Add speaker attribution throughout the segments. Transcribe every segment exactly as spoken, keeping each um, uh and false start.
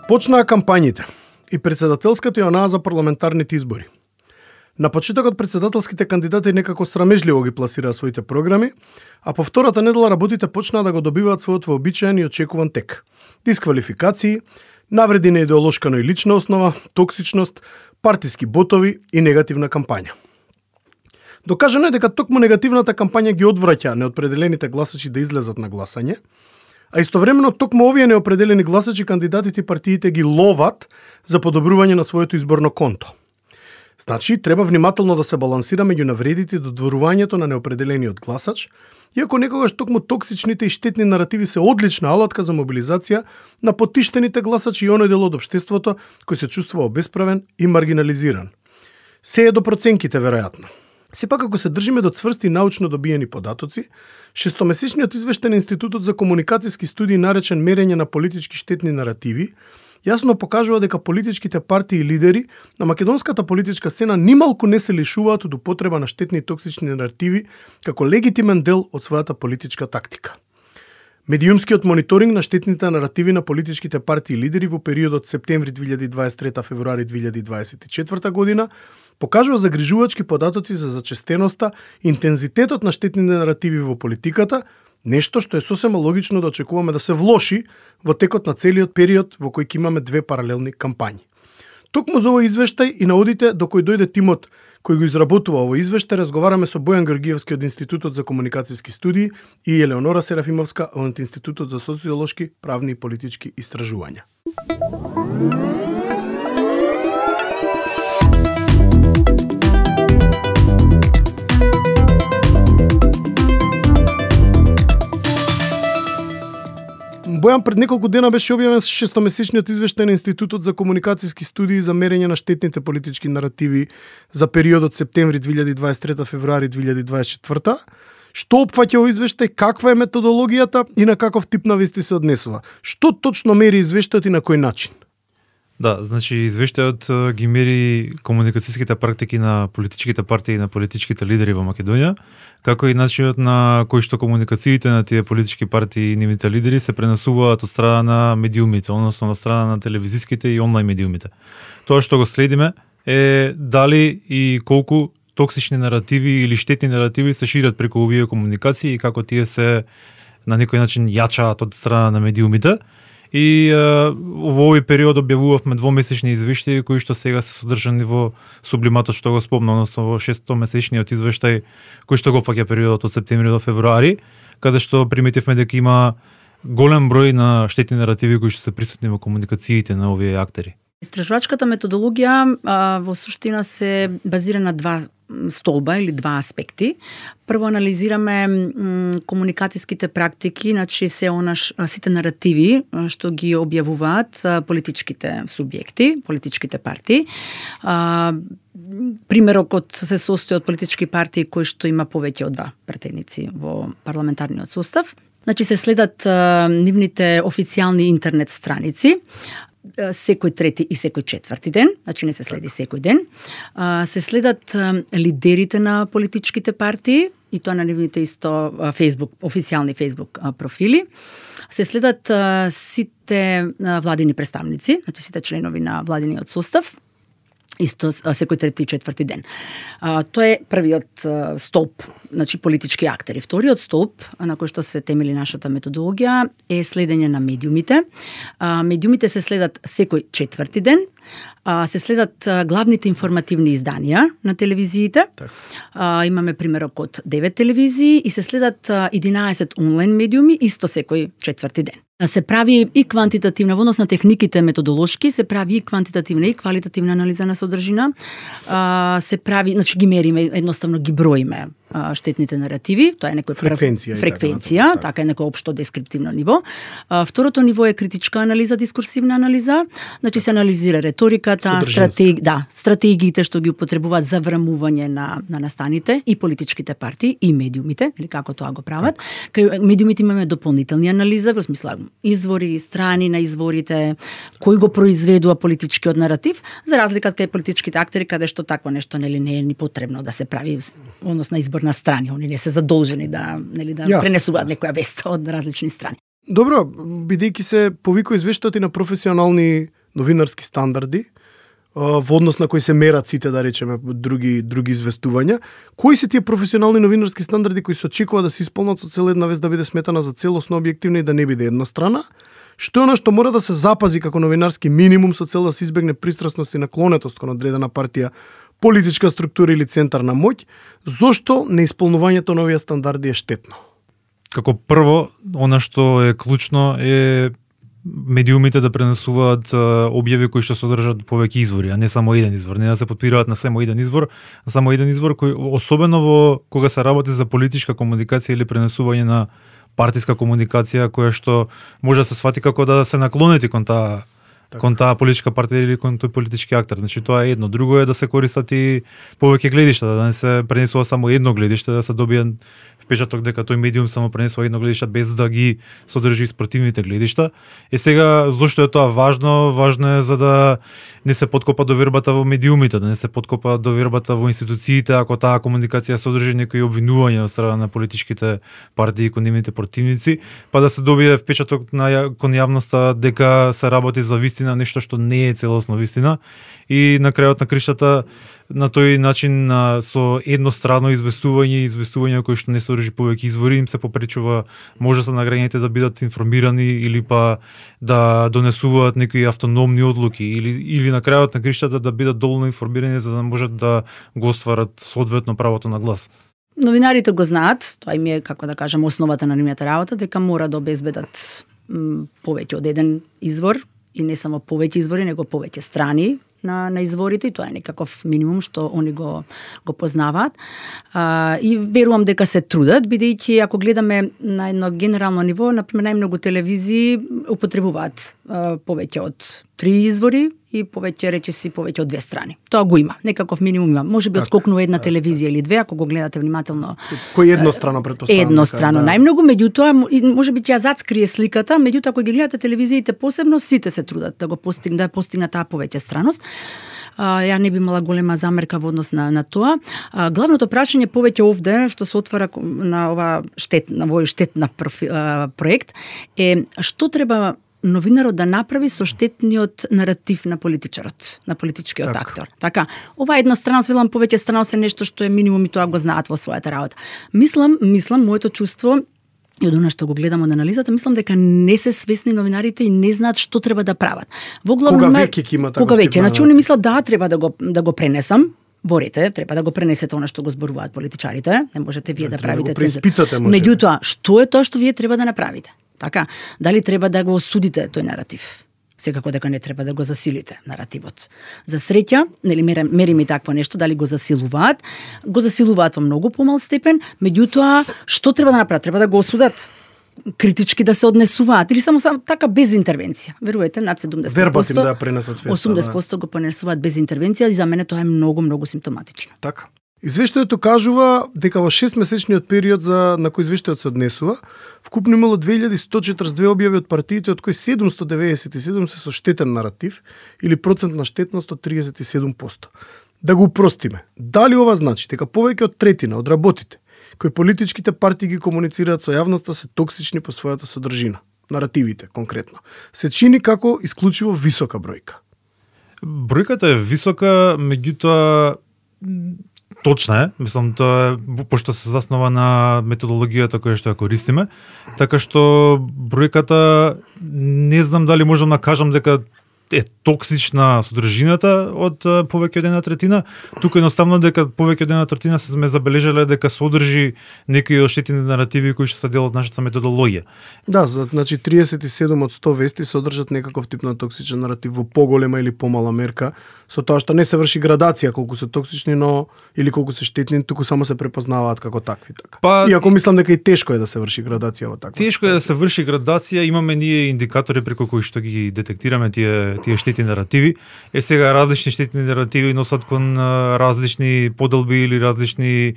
Speaker 1: Почнаа кампањите и председателската и онаа за парламентарните избори. На почетокот председателските кандидати некако срамежливо ги пласираа своите програми, а по втората недела работите почнаа да го добиваат својот вообичаен и очекуван тек. Дисквалификации, навреди на идеолошка, но и лична основа, токсичност, партиски ботови и негативна кампања. Докажано е дека токму негативната кампања ги одвраќа неопределените гласачи да излезат на гласање, а истовремено токму овие неопределени гласачи кандидатите и партиите ги ловат за подобрување на своето изборно конто. Значи, треба внимателно да се балансира меѓу навредите и додворувањето на неопределениот гласач, иако некогаш токму токсичните и штетни наративи се одлична алатка за мобилизација на потиштените гласачи и оној дел од општеството кој се чувствува обесправен и маргинализиран. Се е до проценките, веројатно. Сепак, ако се држиме до цврсти научно добиени податоци, шестомесечниот извештај на Институтот за комуникацијски студии наречен Мерење на политички штетни наративи, јасно покажува дека политичките партии и лидери на македонската политичка сцена нималку не се лишуваат од употреба на штетни и токсични наративи како легитимен дел од својата политичка тактика. Медиумскиот мониторинг на штетните наративи на политичките партии и лидери во периодот септември две илјади дваесет и трета – февруари две илјади дваесет и четврта година покажува загрижувачки податоци за зачестеноста, интензитетот на штетните наративи во политиката, нешто што е сосема логично да очекуваме да се влоши во текот на целиот период во кој ќе имаме две паралелни кампањи. Токму за овој извештај и наодите до кој дојде тимот кој го изработува овој извештај, разговараме со Бојан Георгиевски од Институтот за комуникацијски студии и Елеонора Серафимовска од Институтот за социолошки, правни и политички истражувања. Бојан, пред неколку дена беше објавен шестомесечниот извештај на Институтот за комуникацијски студии за мерење на штетните политички наративи за периодот септември две илјади дваесет и трета – февруари две илјади дваесет и четврта. Што опфаќа овој извештај, каква е методологијата и на каков тип навести се однесува? Што точно мери извештајот и на кој начин?
Speaker 2: Да, значи извештајот ги мери комуникацијските практики на политичките партии и на политичките лидери во Македонија, како и начинот на кој што комуникациите на тие политички партии и нивните лидери се пренесуваат од страна на медиумите, односно од страна на телевизиските и онлайн медиумите. Тоа што го следиме е дали и колку токсични наративи или штетни наративи се шират преку овие комуникации и како тие се на некој начин јачаат од страна на медиумите. И а, во овој период објавувавме двомесечни извештаи кои што сега се содржани во сублиматот што го спомна, односно во шестомесечниот извештај кој што го опфаќа периодот од септември до февруари, каде што приметивме дека има голем број на штетни наративи кои што се присутни во комуникациите на овие актери.
Speaker 3: Истражувачката методологија а, во суштина се базира на два столба или два аспекти. Прво анализираме м, комуникацијските практики, значи се онаш сите наративи што ги објавуваат а, политичките субјекти, политичките партии. А, примерокот се состои од политички партии кои што има повеќе од два претеници во парламентарниот состав. Значи се следат а, нивните официјални интернет страници секој трети и секој четврти ден, значи не се следи секој ден. Се следат лидерите на политичките партии и тоа на нивните исто Facebook, официјални Facebook профили. Се следат сите владини представници, значи сите членови на владиниот состав, исто секој трети и четврти ден. А, тоа е првиот а, столб, значи политички актери. Вториот столб, на кој што се темели нашата методологија, е следење на медиумите. А, медиумите се следат секој четврти ден, а, се следат а, главните информативни изданија на телевизиите. Так. А, имаме примерок од девет телевизии и се следат а, единаесет онлайн медиуми, исто секој четврти ден. Се прави и квантитативна, во однос на техниките методолошки, се прави и квантитативна и квалитативна анализа на содржина. А, се прави, значи ги мериме, едноставно ги броиме а, штетните наративи, тоа е некој
Speaker 1: фреквенција,
Speaker 3: фреквенција, така, така е некој општо дескриптивно ниво. А, второто ниво е критичка анализа, дискурсивна анализа, значи се анализира реториката, стратеги, да, стратегиите што ги употребуваат за врамување на на настаните и политичките партии и медиумите, или како тоа го прават. Кај медиумите имаме дополнителни анализа, во смисла извори, страни на изворите, кој го произведува политичкиот наратив, за разлика од кај политичките актери, каде што такво нешто нели не е ни потребно да се прави, односно избор на страни, они не се задолжени да нели да Јасно. пренесуваат некоја вест од различни страни.
Speaker 1: Добро, бидејќи се повикува извештајот и на професионални новинарски стандарди, во однос на кои се мерат сите, да речеме, други други известувања, кои се тие професионални новинарски стандарди кои се очекува да се исполнат со цел една вест да биде сметана за целосно објективна и да не биде еднострана? Што е она што мора да се запази како новинарски минимум со цел да се избегне пристрасност и наклонетост кон одредена партија, политичка структура или центар на моќ? Зошто неисполнувањето на овие стандарди е штетно?
Speaker 2: Како прво, она што е клучно е медиумите да пренесуваат објави кои што содржат повеќе извори, а не само еден извор, не да се потпираат на само еден извор, а само еден извор кој особено во кога се работи за политичка комуникација или пренесување на партиска комуникација која што може да се свати како да се наклонети кон таа так. кон таа политичка партија или кон тој политички актер. Значи тоа е едно. Друго е да се користат и повеќе гледишта, да не се пренесува само едно гледиште, да се добие впечаток дека тој медиум само пренесува едно гледиште без да ги содржи спротивните гледишта. Е сега зошто е тоа важно? Важно е за да не се подкопа довербата во медиумите, да не се подкопа довербата во институциите ако таа комуникација содржи некои обвинувања од страна на политичките партии кон нивните противници, па да се добие впечаток на кон јавноста дека се работи за вистина, нешто што не е целосно вистина, и на крајот на криштата на тој начин на, со еднострано известување, известување кои што не содржи повеќе извори, им се попречува можноста на граѓаните да бидат информирани или па да донесуваат некои автономни одлуки или или на крајот на криштата да бидат доволно информирани за да можат да го остварат соодветно правото на глас.
Speaker 3: Новинарите го знаат, тоа им е, како да кажам, основата на нивната работа, дека мора да обезбедат м, повеќе од еден извор, и не само повеќе извори, него повеќе страни на, на изворите, и тоа е некаков минимум што они го, го познаваат. А, и верувам дека се трудат, бидејќи ако гледаме на едно генерално ниво, например, најмногу телевизии употребуваат а, повеќе од три извори и повеќе, речиси, повеќе од две страни. Тоа го има, некаков минимум има. Може би отскокнува една телевизија или две, ако го гледате внимателно.
Speaker 1: Кој еднострано предпоставам?
Speaker 3: Еднострано, да. Најмногу, меѓутоа, може би ќе ја зацкрие сликата, меѓутоа ако ги гледате телевизиите посебно, сите се трудат да го постигнат, да постигнат таа повеќе страност. А, ја не би имала голема замерка во однос на, на тоа. А, главното прашање повеќе овде, што се отвара на ова штет, на овој штетна профи, а, проект, е што треба новинарот да направи со штетниот наратив на политичарот, на политичкиот так. актор. Така, ова едностраност, велам повеќе страност е нешто што е минимум и тоа го знаат во својата работа. Мислам, мислам, моето чувство и од она што го гледам од анализата, мислам дека не се свесни новинарите и не знаат што треба да прават. Во главно,
Speaker 1: кога веќе ќе има таков
Speaker 3: кога веќе, значи они мислат да треба да го да го пренесам. Ворите, треба да го пренесете она што го зборуваат политичарите, не можете вие да, да правите
Speaker 1: цензура.
Speaker 3: Меѓутоа, што е тоа што вие треба да направите? Така, дали треба да го осудите тој наратив? Секако дека не треба да го засилите наративот. За среќа, нели мериме и такво нешто, дали го засилуваат, го засилуваат во многу помал степен, меѓутоа што треба да направат? Треба да го осудат, критички да се однесуваат или само, само така без интервенција. Верувате, над седумдесет проценти.
Speaker 1: Вербатим да ја пренесат веста.
Speaker 3: осумдесет проценти го пренесуваат без интервенција и за мене тоа е многу многу симптоматично.
Speaker 1: Така. Извештајето кажува дека во шестмесечниот период за на кој извештајот се однесува, вкупно имало две илјади сто четиридесет и две објави од партиите, од кои седумсто деветдесет и седум се со штетен наратив или процент на штетност од триесет и седум проценти. Да го упростиме, дали ова значи дека повеќе од третина од работите кои политичките партии ги комуницираат со јавноста се токсични по својата содржина, наративите конкретно, се чини како исклучиво висока бројка?
Speaker 2: Бројката е висока, меѓутоа точна е, мислам тоа е пошто се заснова на методологијата која што ја користиме, така што бројката не знам дали можам да кажам дека е токсична содржината од повеќе од една третина, туку едноставно дека повеќе од една третина се сме забележале дека содржи некои оштетени наративи кои што се дел од нашата методологија.
Speaker 1: Да, значи триесет и седум од сто вести содржат некаков тип на токсичен наратив во поголема или помала мерка, со тоа што не се врши градација колку се токсични, но или колку се штетни, туку само се препознаваат како такви така. Па, иако мислам дека и тешко е да се врши градација во таква.
Speaker 2: Тешко е да се врши градација, имаме ние индикатори преку кои што ги детектираме тие тие штетни наративи. Е сега различни штетни наративи носат кон различни поделби или различни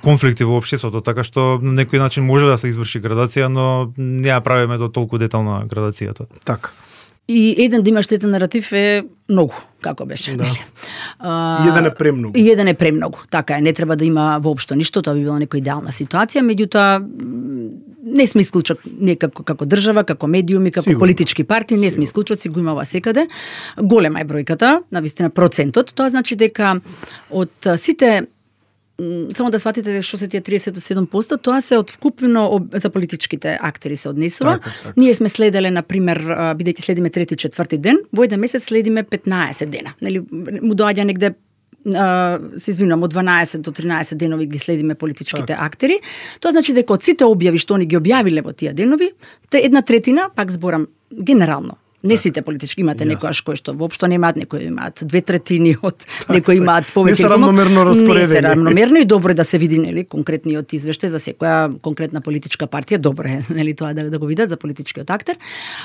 Speaker 2: конфликти во општеството, така што на некој начин може да се изврши градација, но не ја правиме до толку детална градацијата.
Speaker 1: Така.
Speaker 3: И еден да има штетен наратив е многу, како беше.
Speaker 1: Да.
Speaker 3: А,
Speaker 1: еден е премногу.
Speaker 3: И еден е премногу. Така е, не треба да има воопшто ништо, тоа би била некоја идеална ситуација, меѓутоа не сме исклучок некако како држава, како медиуми, како Сигурно. Политички партии, не сме исклучоци, го има ова секаде. Голема е бројката, навистина процентот, тоа значи дека од сите, само да сватите што се тие триесет и седум проценти, тоа се од вкупно за политичките актери се однесува.
Speaker 1: Така, така.
Speaker 3: Ние сме следеле, например, бидејќи следиме трети, четврти ден, во еден месец следиме петнаесет дена. Нели, му доаѓа негде, а, се извинувам, од дванаесет до тринаесет денови ги следиме политичките так. актери. Тоа значи дека од сите објави што они ги објавиле во тие денови, една третина, пак зборам генерално, не сите политички, имате yes. некојаш кои што воопшто немаат, некои имаат две третини од, так, некои имаат повеќе. Не
Speaker 1: се равномерно распоредени.
Speaker 3: Не се равномерно и добро е да се види, нели, конкретниот извештај за секоја конкретна политичка партија, добро е, нели, тоа да, да го видат за политичкиот актер.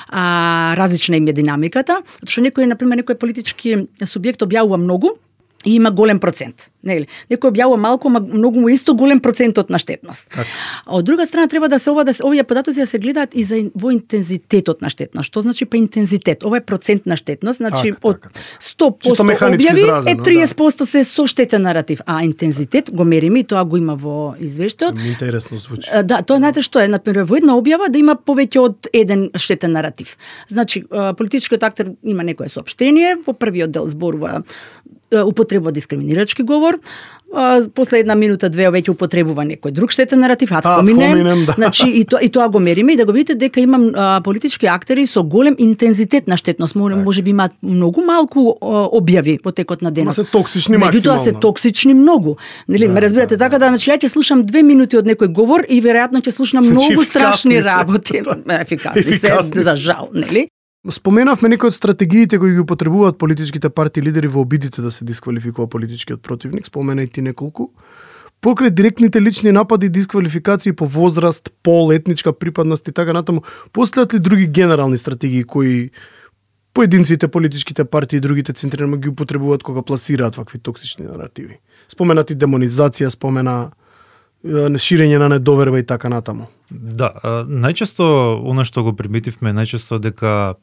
Speaker 3: А, различна им е динамиката, затоа што некој, например, некој политички субјект објавува многу, и има голем процент. Нели? Некој објавува малку, ма многу му исто голем процентот на штетност. Так. А од друга страна треба да се ова да се овие податоци да се гледаат и за во интензитетот на штетност. Што значи па интензитет? Ова е процент на штетност, значи
Speaker 1: так,
Speaker 3: од
Speaker 1: так, так.
Speaker 3: сто проценти објави
Speaker 1: изразено,
Speaker 3: е триесет проценти да. се со штетен наратив, а интензитет го мериме и тоа го има во извештајот.
Speaker 1: Интересно звучи.
Speaker 3: Да, тоа знаете што е, например, во една објава да има повеќе од еден штетен наратив. Значи, политичкиот актер има некое соопштение, во првиот дел зборува употребува дискриминирачки говор, а, после една минута две веќе употребува некој друг штетен наратив, ад поминем,
Speaker 1: да.
Speaker 3: Значи и тоа и тоа го мериме и да го видите дека имам а, политички актери со голем интензитет на штетност, може, може би имаат многу малку а, објави во текот на денот.
Speaker 1: Ма се токсични максимално.
Speaker 3: Меѓутоа се токсични многу. Нели, да, ме разбирате да, така да, значи ја ќе слушам две минути од некој говор и веројатно ќе слушнам многу страшни работи, ефикасни се, за жал, нели?
Speaker 1: Споменавме некои од стратегиите кои ги употребуваат политичките партии лидери во обидите да се дисквалификува политичкиот противник, спомена и ти неколку. Покрај директните лични напади, дисквалификации по возраст, пол, етничка припадност и така натаму, постојат ли други генерални стратегии кои поединците, политичките партии и другите центрирани ги употребуваат кога пласираат вакви токсични наративи? Споменати демонизација, спомена ширење на недоверба и така натаму.
Speaker 2: Да, најчесто она што го приметивме најчесто дека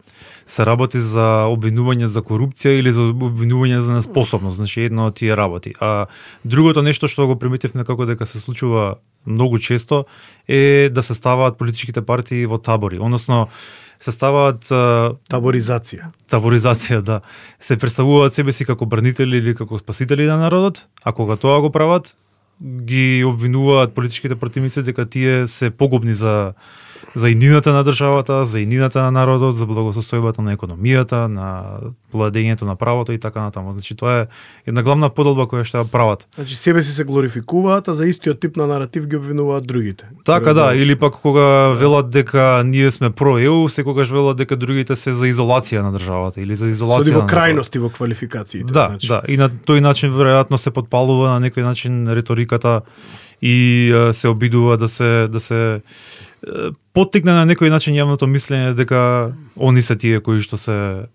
Speaker 2: се работи за обвинување за корупција или за обвинување за неспособност, значи едно од тие работи. А другото нешто што го приметивме како дека се случува многу често е да се ставаат политичките партии во табори, односно се ставаат
Speaker 1: таборизација.
Speaker 2: Таборизација, да. Се представуваат себе си како бранители или како спасители на народот, а кога тоа го прават, ги обвинуваат политичките противници дека тие се погубни за за иднината на државата, за иднината на народот, за благосостојбата на економијата, на владењето на правото и така натаму. Значи тоа е една главна поделба која што ја прават.
Speaker 1: Значи себе си се глорификуваат, а за истиот тип на наратив ги обвинуваат другите.
Speaker 2: Така да, или пак кога да. велат дека ние сме про-ЕУ, секогаш велат дека другите се за изолација на државата или за изолација.
Speaker 1: Соди во
Speaker 2: на
Speaker 1: крајности во квалификациите.
Speaker 2: Да,
Speaker 1: значи.
Speaker 2: да, и на тој начин веројатно се подпалува на некој начин риториката и а, се обидува да се да се поттикне на некој начин јавното мислење дека они се тие кои што се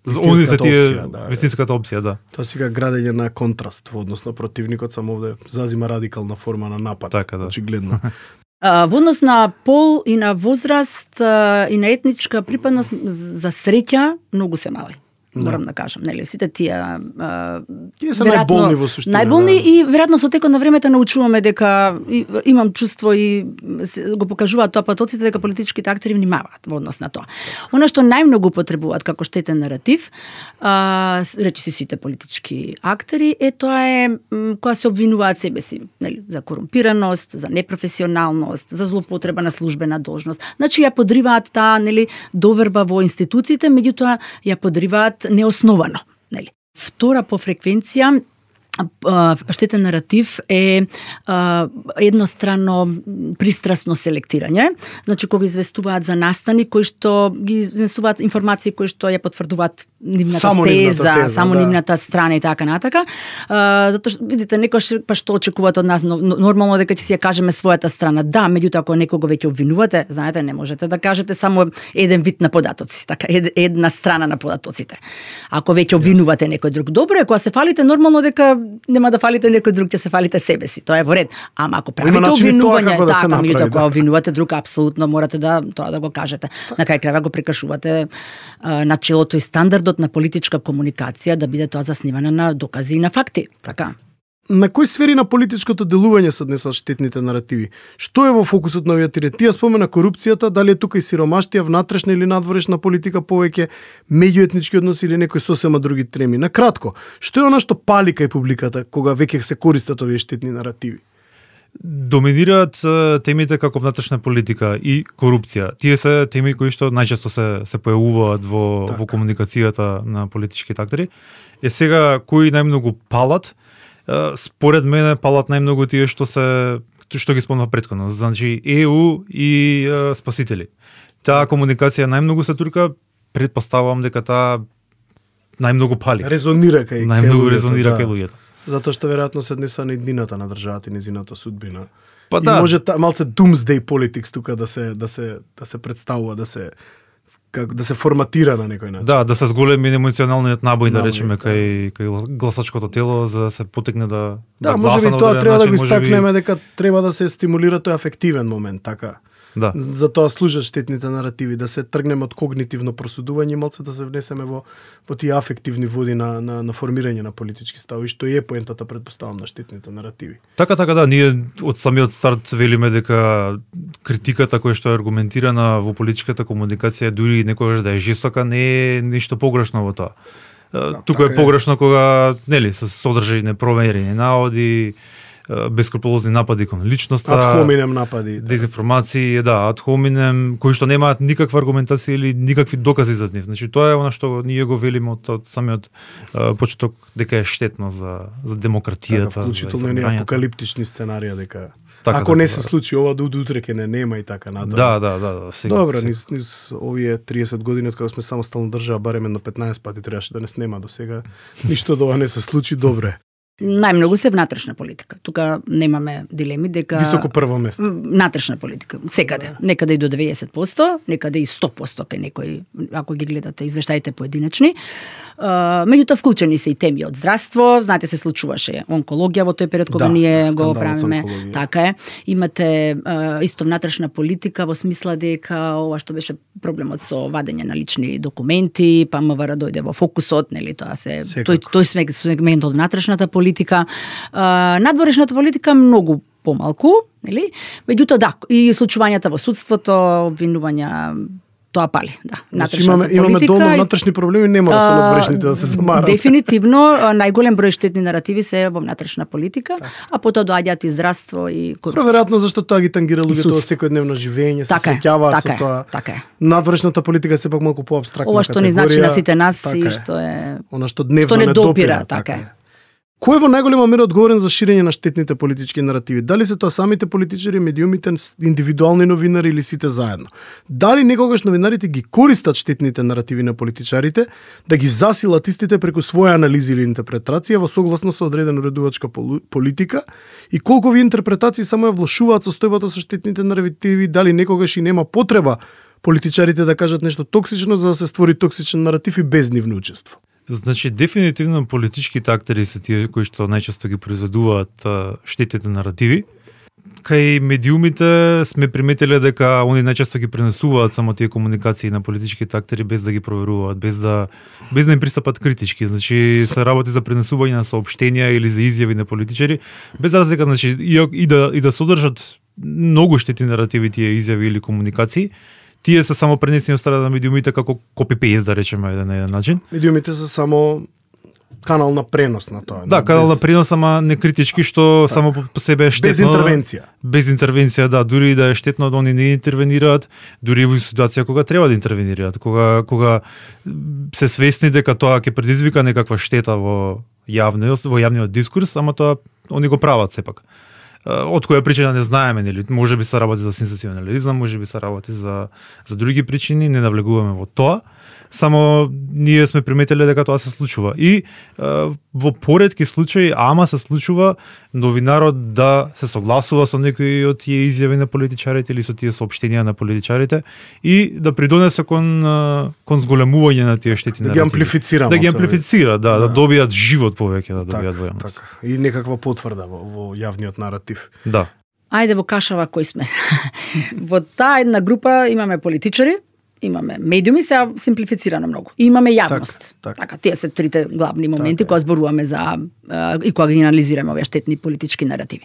Speaker 2: они се тие опција, да, вистинската опција, да.
Speaker 1: Тоа сега градење на контраст во однос на противникот, само овде зазима радикална форма на напад,
Speaker 2: така, да.
Speaker 1: очигледно.
Speaker 3: Во однос на пол и на возраст и на етничка припадност, за среќа многу се мали. Морам да, да кажам, нели, сите тие
Speaker 1: тие се најболни во суштина.
Speaker 3: Најболни
Speaker 1: да.
Speaker 3: И веројатно со текот на времето научуваме дека и, имам чувство и го покажуваат тоа потоците дека политичките актери внимаваат во однос на тоа. Она што најмногу потребуваат како штетен наратив, а, речи си сите политички актери, е тоа е кога се обвинуваат себе си, нели, за корумпираност, за непрофесионалност, за злоупотреба на службена должност. Значи ја подриваат таа, нели, доверба во институциите, меѓутоа ја подриваат неосновано, нели. Втора по фреквенција штетен наратив е а, едностранно пристрасно селектирање. Значи кога известуваат за настани кои што ги известуваат информации кои што ја потврдуваат нивната
Speaker 1: само
Speaker 3: теза,
Speaker 1: нивната теза,
Speaker 3: само
Speaker 1: да.
Speaker 3: нивната страна и така натака. А, затоа што видите некој па што очекуваат од нас, но, нормално дека ќе си ја кажеме својата страна. Да, меѓутоа ако некого веќе обвинувате, знаете, не можете да кажете само еден вид на податоци, така ед, една страна на податоците. Ако веќе обвинувате некој друг, добро е, кога се фалите нормално дека нема да фалите некој друг, ќе се фалите себе си. Тоа е во ред. Ама ако правите
Speaker 1: начини тоа
Speaker 3: обвинување,
Speaker 1: како да се
Speaker 3: така,
Speaker 1: направи,
Speaker 3: меѓутоа
Speaker 1: да.
Speaker 3: кога обвинувате друг, апсолутно морате да тоа да го кажете. На крај крајва го прекашувате а, начелото и стандардот на политичка комуникација да биде тоа заснивана на докази и на факти. Така.
Speaker 1: На кои сфери на политичкото делување се однесуваат штетните наративи? Што е во фокусот на овие тие? Тие спомена корупцијата, дали е тука и сиромаштија, внатрешна или надворешна политика, повеќе меѓуетнички односи или некои сосема други теми? На кратко, што е она што пали кај публиката кога веќе се користат овие штетни наративи?
Speaker 2: Доминираат темите како внатрешна политика и корупција. Тие се теми кои што најчесто се се појавуваат во
Speaker 1: так.
Speaker 2: во комуникацијата на политичките актери. Е сега кои најмногу палат? Според мене палат најмногу тие што се што ги спомнав претходно, значи Е У и е, спасители. Таа комуникација најмногу се турка, претпоставувам дека таа најмногу пали.
Speaker 1: Резонира кај
Speaker 2: најмногу
Speaker 1: кај
Speaker 2: резонира
Speaker 1: да.
Speaker 2: кај луѓето.
Speaker 1: Затоа што веројатно се однесува на иднината на државата и незината судбина.
Speaker 2: Па
Speaker 1: и
Speaker 2: да.
Speaker 1: може та, малце doomsday politics тука да се да се да се представува, да се како да се форматира на некој начин.
Speaker 2: Да, да се зголеми емоционалниот набој, да
Speaker 1: Набој,
Speaker 2: речеме, кај кај гласачкото тело за да се потекне да
Speaker 1: Да,
Speaker 2: да
Speaker 1: може
Speaker 2: гласа
Speaker 1: би
Speaker 2: на
Speaker 1: тоа
Speaker 2: одреден
Speaker 1: треба да го
Speaker 2: начин, може би-
Speaker 1: истакнеме дека треба да се стимулира тој афективен момент, така.
Speaker 2: Да.
Speaker 1: За тоа служат штетните наративи, да се тргнеме од когнитивно просудување и малце да се внесеме во во тие афективни води на на на формирање на политички ставови, што е поентата, предпоставам, на штетните наративи.
Speaker 2: Така, така, да, ние од самиот старт велиме дека критиката која што е аргументирана во политичката комуникација, дури некогаш да е жестока, не е ништо погрешно во тоа.
Speaker 1: Да,
Speaker 2: Тука
Speaker 1: така
Speaker 2: е погрешно кога, нели, се содржаи непроверени наводи, бескрупулозни напади кон личноста,
Speaker 1: Ад хоминем напади. Да.
Speaker 2: дезинформации, да, ад хоминем, кои што немаат никаква аргументација или никакви докази за нив. Значи тоа е она што ние го велиме од, од самиот uh, почеток дека е штетно за за демократијата,
Speaker 1: Така, вклучително и
Speaker 2: информирањето.
Speaker 1: апокалиптични сценарија дека
Speaker 2: Така,
Speaker 1: ако
Speaker 2: така,
Speaker 1: не
Speaker 2: да.
Speaker 1: се случи ова, до утре ќе не нема и така натаму.
Speaker 2: Да, да, да, да, сега.
Speaker 1: Добро,
Speaker 2: сега.
Speaker 1: низ, низ овие триесет години од кога сме самостална држава, барем едно петнаесет пати требаше да не снема до сега. Ништо од ова не се случи, добре.
Speaker 3: Најмногу се внатрешна политика. Тука немаме дилеми дека
Speaker 1: Високо прво место.
Speaker 3: Внатрешна политика, секаде. Некаде и до деветдесет проценти, некаде и сто проценти кај некој, ако ги гледате извештаите поединечни. Uh, меѓутоа вклучени се и теми од здравство, знаете се случуваше онкологија во тој период кога
Speaker 1: Да,
Speaker 3: ние го
Speaker 1: скандалот со
Speaker 3: правиме.
Speaker 1: онкологија.
Speaker 3: Така е. Имате uh, исто внатрешна политика во смисла дека ова што беше проблемот со вадење на лични документи, па МВР дојде во фокусот, нели, тоа се
Speaker 1: Секако.
Speaker 3: тој тој сег- сегмент од внатрешната политика. Uh, надворешната политика многу помалку, нели? Меѓутоа да, и случувањата во судството, обвинувања, тоа пали, да.
Speaker 1: Значи имаме имаме долно внатрешни проблеми, не мора со надворешните да се замараме.
Speaker 3: Дефинитивно, најголем број штетни наративи се во внатрешна политика,
Speaker 1: Так.
Speaker 3: а потоа доаѓаат и здравство и корупција.
Speaker 1: Веројатно зашто тоа ги тангира луѓето во
Speaker 3: судство.
Speaker 1: секојдневно живење, се
Speaker 3: Така е,
Speaker 1: среќаваат со
Speaker 3: така е,
Speaker 1: тоа.
Speaker 3: така е.
Speaker 1: Надворешната политика е сепак малку поапстрактна
Speaker 3: Ова што
Speaker 1: категорија.
Speaker 3: ни значи на сите нас
Speaker 1: така
Speaker 3: и
Speaker 1: е.
Speaker 3: што е
Speaker 1: Она што дневно
Speaker 3: што не
Speaker 1: не
Speaker 3: допира, така е.
Speaker 1: Кој е во најголема мера одговорен за ширење на штетните политички наративи? Дали се тоа самите политичари, медиумите, индивидуални новинари или сите заедно? Дали некогаш новинарите ги користат штетните наративи на политичарите да ги засилат истите преку своја анализи или интерпретација во согласно со одредена уредувачка полу- политика и колку ви интерпретации само ја влошуваат состојбата со штетните наративи, дали некогаш и нема потреба политичарите да кажат нешто токсично за да се створи токсичен наратив и без нивно учество?
Speaker 2: Значи, дефинитивно политичките актери се тие кои што најчесто ги произведуваат а, штетните наративи. Кај медиумите сме приметиле дека они најчесто ги пренесуваат само тие комуникации на политичките актери без да ги проверуваат, без да без да им пристапат критички. Значи, се работи за пренесување на соопштенија или за изјави на политичари, без разлика, значи и, и да и да содржат многу штетни наративи тие изјави или комуникации. Тие се само пренесени од страна на медиумите како копи-пейст, да речеме на еден начин.
Speaker 1: Медиумите се само канал на пренос на тоа.
Speaker 2: Да,
Speaker 1: не?
Speaker 2: канал
Speaker 1: Без-
Speaker 2: на пренос, ама не критички, што
Speaker 1: Так.
Speaker 2: само по по себе е штетно.
Speaker 1: без интервенција.
Speaker 2: Без интервенција, да, дури и да е штетно да они не интервенираат, дури во ситуација кога треба да интервенираат, кога кога се свесни дека тоа ќе предизвика некаква штета во јавниот, во јавниот дискурс, ама тоа они го прават сепак. Од која причина не знаеме, нели, може би се работи за сензационализам, може би се работи за за други причини, не навлегуваме во тоа. само ние сме приметиле дека тоа се случува. И а, во поретки случаи, ама се случува новинарот да се согласува со некои од тие изјави на политичарите или со тие соопштенија на политичарите и да придонесе кон кон зголемување на тие штети
Speaker 1: да
Speaker 2: наративи.
Speaker 1: ги амплифицира.
Speaker 2: Да ги амплифицира, да, да, да добијат живот повеќе, да добијат во јавност.
Speaker 1: Така, и некаква потврда во, во јавниот наратив.
Speaker 2: Да.
Speaker 3: Ајде во кашава кои сме. Во таа една група имаме политичари, имаме медиуми, сега симплифицирано многу. И имаме јавност.
Speaker 1: Так, так.
Speaker 3: Така, тие се трите главни моменти
Speaker 1: така,
Speaker 3: кога зборуваме за и кога ги анализираме овие штетни политички наративи.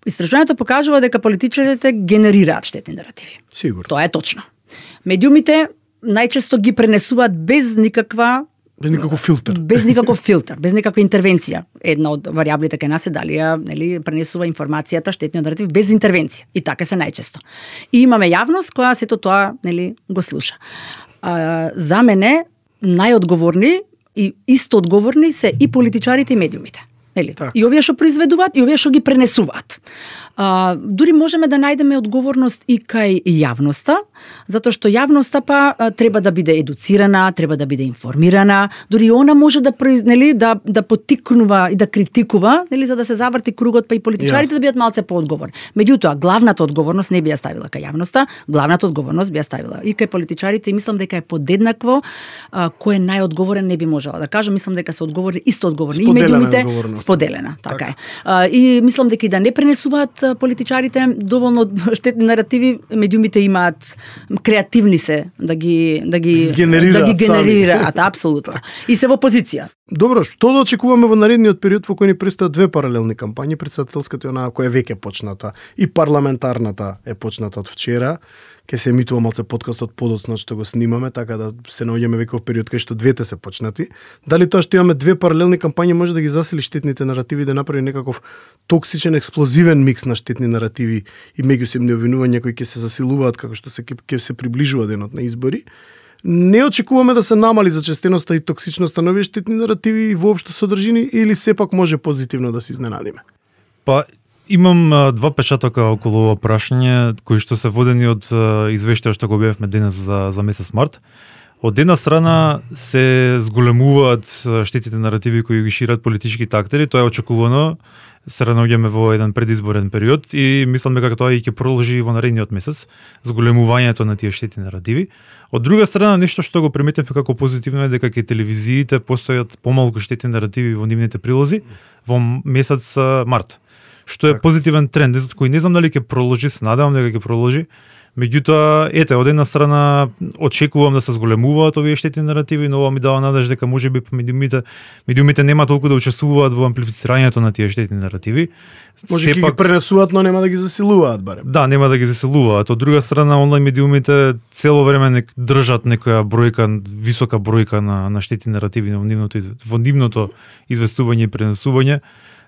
Speaker 3: Истражувањето покажува дека политичарите генерираат штетни наративи.
Speaker 1: Сигурно.
Speaker 3: Тоа е точно. Медиумите најчесто ги пренесуваат без никаква
Speaker 1: Без никаков филтер.
Speaker 3: Без никаков филтер, без никаква интервенција. Една од варијаблите кај нас е дали ја, нели, пренесува информацијата, штетниот наратив без интервенција. И така се најчесто. И имаме јавност која сето тоа, нели, го слуша. А, за мене најодговорни и исто одговорни се и политичарите и медиумите. Нели?
Speaker 1: Так.
Speaker 3: И овие што произведуваат и овие што ги пренесуваат. А, дури можеме да најдеме одговорност и кај јавноста, затоа што јавноста па а, треба да биде едуцирана, треба да биде информирана, дури она може да нели да да поттикнува и да критикува, нели, за да се заврти кругот, па и политичарите
Speaker 1: Јас.
Speaker 3: да бидат малце поодговорни. Меѓутоа, главната одговорност не би ја ставила кај јавноста, главната одговорност би ја ставила и кај политичарите, и мислам дека е подеднакво а, кој е најодговорен не би можела да кажам, мислам дека се одговорни исто одговорни и медиумите споделена, така, така е. А, и мислам дека и да не пренесуваат политичарите доволно штетни наративи, медиумите имаат креативни се да ги да ги
Speaker 1: генерираат,
Speaker 3: да ги генерираат апсолутно. И се во позиција.
Speaker 1: Добро, што да очекуваме во наредниот период во кој ни престојат две паралелни кампањи, претседателската и онаа која е веќе почната и парламентарната е почната од вчера. Ке се емитува малце подкастот подоцна што го снимаме, така да се наоѓаме веќе во период кај што двете се почнати. Дали тоа што имаме две паралелни кампањи може да ги засили штетните наративи, да направи некаков токсичен, експлозивен микс на штетни наративи и меѓусебни обвинувања кои ќе се засилуваат како што се ќе се приближува денот на избори? Не очекуваме да се намали зачестеноста и токсичноста на овие штетни наративи и воопшто содржини, или сепак може позитивно да се изненадиме?
Speaker 2: Па имам а, два печатока околу ова прашање кои што се водени од а, извештаја што го објавивме денес за за месец март. Од една страна се зголемуваат штетите наративи кои ги шират политичките актери, тоа е очекувано. Се наоѓаме во еден предизборен период и мислам дека тоа и ќе продолжи во наредниот месец, зголемувањето на тие штетни наративи. Од друга страна, нешто што го приметивме како позитивно е дека кај телевизиите постојат помалку штетни наративи во нивните прилози во месец март, што е так. Позитивен тренд, кој не знам дали ќе продолжи, се надевам дека ќе продолжи. Меѓутоа, ете, од една страна очекувам да се зголемуваат овие штетни наративи, но ова ми дава надеж дека можеби медиумите медиумите нема толку да учествуваат во амплифицирањето на тие штетни наративи.
Speaker 1: Може ќе ги пренесуваат, но нема да ги засилуваат барем.
Speaker 2: Да, нема да ги засилуваат. Од друга страна, онлайн медиумите цело време не држат некоја бројка, висока бројка на на штетни наративи во нивното во нивното известување и пренесување.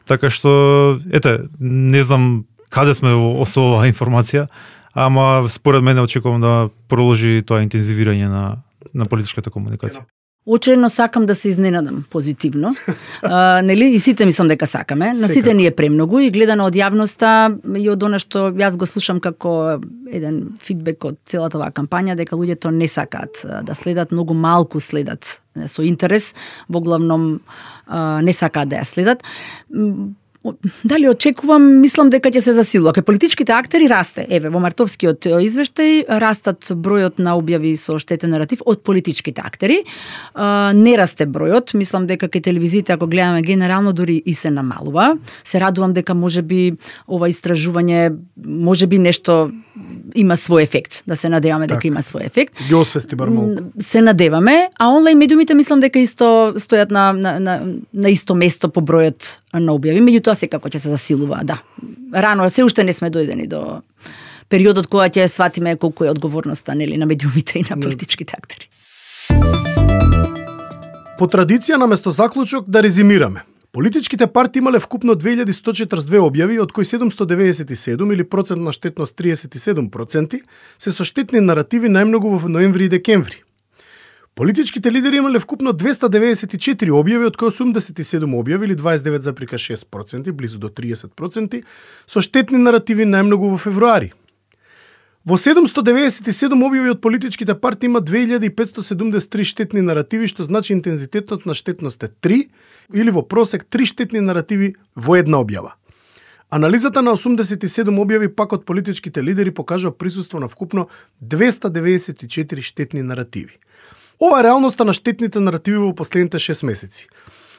Speaker 2: Така што, ете, не знам каде сме во со оваа информација, ама според мене очекувам да продолжи тоа интензивирање на на политичката комуникација.
Speaker 3: Очено сакам да се изненадам позитивно. а, нели и сите мислам дека сакаме. На сите ни е премногу и гледано од јавноста и од она што јас го слушам како еден фидбек од целата оваа кампања, дека луѓето не сакаат да следат, многу малку следат со интерес, во главном а, не сакаат да ја следат. Дали очекувам, мислам дека ќе се засилува. Кај политичките актери расте. Еве, во мартовскиот извештај растат бројот на објави со штетен наратив од политичките актери. А, не расте бројот. Мислам дека кај телевизиите, ако гледаме генерално, дури и се намалува. Се радувам дека можеби ова истражување, можеби нешто има свој ефект. Да се надеваме так, дека има свој ефект.
Speaker 1: Ги освести бар малку.
Speaker 3: Се надеваме, а онлайн медиумите мислам дека исто стојат на на на, на исто место по бројот на објави, меѓутоа секако ќе се засилува, да. Рано, се уште не сме дојдени до периодот кога ќе сватиме колку е одговорноста, нели, на медиумите и на политичките актери.
Speaker 1: По традиција, наместо заклучок, да резимираме. Политичките партии имале вкупно две илјади сто четирдесет и две објави, од кои седумсто деветдесет и седум или процентна штетност триесет и седум проценти се со штетни наративи најмногу во ноември и декември. Политичките лидери имале вкупно двеста деветдесет и четири објави, од кои осумдесет и седум објави или дваесет и девет зарез и шест проценти, близу до триесет проценти, со штетни наративи најмногу во февруари. Во седумсто деветдесет и седум објави од политичките партии има две илјади петсто седумдесет и три штетни наративи, што значи интензитетот на штетност е три, или во просек три штетни наративи во една објава. Анализата на осумдесет и седум објави пак од политичките лидери покажува присуство на вкупно двеста деветдесет и четири штетни наративи. Ова е реалноста на штетните наративи во последните шест месеци.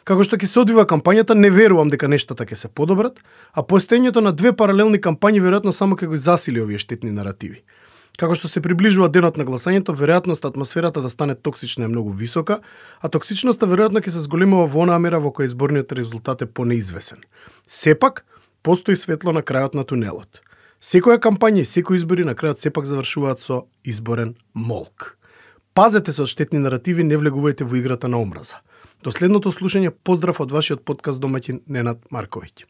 Speaker 1: Како што ќе се одвива кампањата, не верувам дека нештата ќе се подобрат, а постоењето на две паралелни кампањи веројатно само ќе го засили овие штетни наративи. Како што се приближува денот на гласањето, веројатноста атмосферата да стане токсична е многу висока, а токсичноста веројатно ќе се зголемува во онаа мера во која изборниот резултат е понеизвесен. Сепак, постои светло на крајот на тунелот. Секоја кампања и секои избори на крајот сепак завршуваат со изборен молк. Пазете се од штетни наративи, не влегувајте во играта на омраза. До следното слушање, поздрав од вашиот подкаст домаќин Ненад Марковиќ.